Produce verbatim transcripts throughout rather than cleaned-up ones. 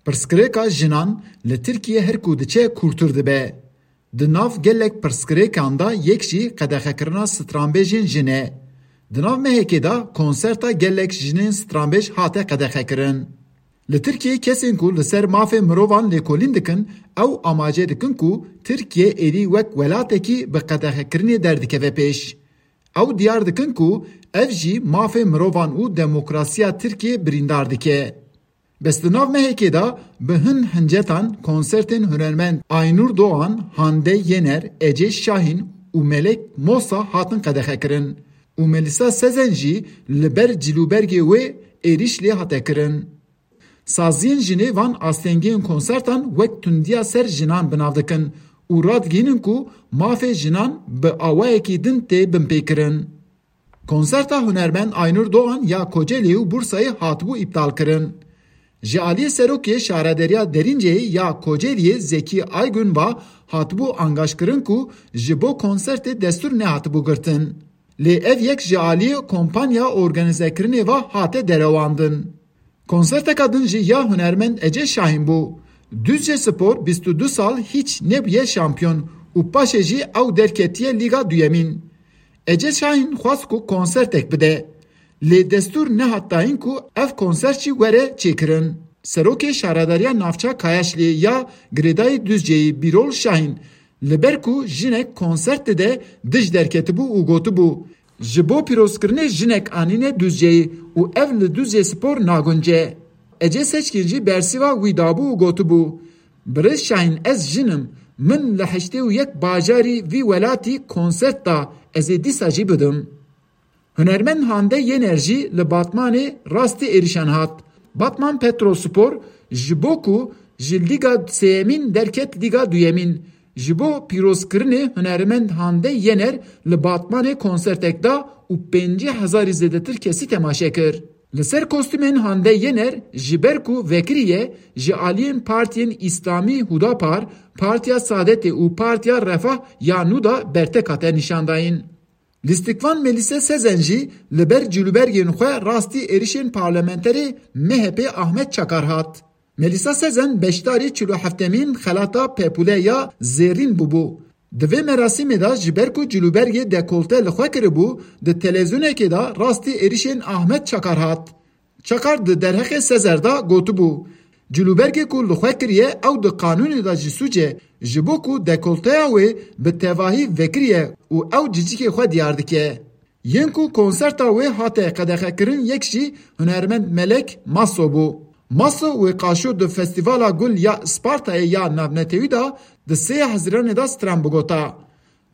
Pirsgirêka jinan li Tirkiye her ku diçe kûrtir dibe. Di nav gelek pirsgirêkan de yek jî qedexekirina stranbêjên jin e. Di nav mehekê de konserta gelek jinên stranbêj hate qedexekirin. Li Tirkiyeyê kesên ku li ser mafê mirovan lêkolîn dikin, ew amaje dikin ku Tirkiye êdî wek welatekî bi qedexekirinê derdikeve pêş. Ew diyar dikin ku ev jî mafê mirovan û demokrasiya Tirkiyê birîndar dike. Bes di nav mehekê de bi hin hincetan konsertên hunermend Aynur Doğan, Hande Yener, Ece Şahin û Melek Mosa hatin qedexekirin û Melisa Sezen jî li ber cilûbergê wê êrîş lê hate kirin. Saziyên jinê van astengiyên konsertan wek tundiya ser jinan bi nav dikin û radigihînin ku mafê jinan bi awayekî din tê binpêkirin. Konserta hunermend Aynur Doğan ya Kocaeli û Bursayê hatibû îptalkirin. Ji aliyê serokê Şarederiya Derînceyê ya Kocaeliyê Zekî Aygün ve hatibû angaşkirin ku ji bo konsertê destûr nehatibû girtin. Lê ev yek ji aliyê kompanya organîzekirinê ve hate derewandin. Konserteka din jî ya hunermend Ece Şahin bû. Düzce Spor bîst û du sal hiç nebûye şampiyon û paşê jî ew derketiye Lîga Duyemîn. Ece Şahin xwest ku konsertek bide. Lê destûr nehat dayîn ku ev konsert jî were çêkirin. Serokê Şaredariya Navça Kayaşlê ya girêdayî Düzceyê Bîrol Şahin, li ber ku jinek konsert dide, dij derketibû û gotibû, ji bo pîrozkirinê jinek anîne Duzceyê û ev li Duzcê Spor nagunce. Ece Seçkin jî bersiva wî dabû û gotibû, Birêz Şahîn, ez jin im, min li heştê û yek bajarî vî welatî konsert da, ez ê dîsa jî bidim. Hunermend Hande Yener jî li Batmanê rastî êrişan hat. Batman Petrospor ji bo ku ji Lîga Sêyemîn derket Lîga Duyemîn, ji bo pîrozkirinê hunermend Hande Yener li Batmanê konsertek da û pêncî hezarî zêdetir kesî temaşe kir. Li ser kostûmên Hande Yener, ji ber ku vekirî ye, ji aliyên partiyên Îslamî Hudapar, Partiya Saadetê û Partiya Refah ya nû da bertek hate nîşandayîn. Lîstikvan Melîse Sezen jî li ber cilûbergên xwe rastî êrişên parlamenterê M H P Ahmet Çakar hat. Melîsa Sezen beşdarî çil û heftemîn xelata Pepûle ya Zêrîn bûbû. Di vê merasîmê de ji ber ku cilûbergê dekolte li xwe kiribû, di televîzyonekê de rastî êrişên Ahmet Çakar hat. Çakar di derheqê Sezer de gotibû, Cilûbergê ku li xwe kiriye ew di qanûnê de jî sûc e, ji bo ku dekolteya wê bi tevahî vekirî ye û ew cicikê xwe diyar dike. Yên ku konserta wê hate qedexekirin yek jî hunermend Melek Maso bû. Maso wê qaşo di Festîvala Gul ya Spartayê ya navnetewî de di sê Hezîranê de stran bigota.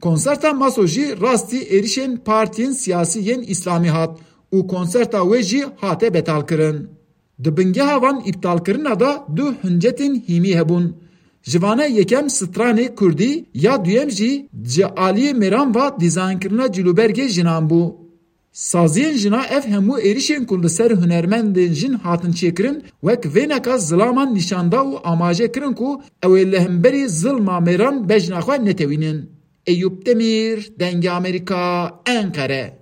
Konserta Maso jî rastî êrişên partiyên siyasî yên Îslamî hat û konserta wê jî hate betalkirin. Di bingeha van îptalkirina de du hincetên hîmî hebûn. Ji vana yekem stranê kurdî, ya duyem jî ji aliyê mêran ve dîzaynkirina cilûbergê jinan bû. Saziyên jina ev hemû êrişên ku li ser hunermendên jin hatin çêkirin, wek vêneka zilaman nîşan da û amaje kirin ku ew ê li hemberî zilma mêran bejna xwe netewînin. Eyûp Demîr, Dengê Amerîka, Enqere.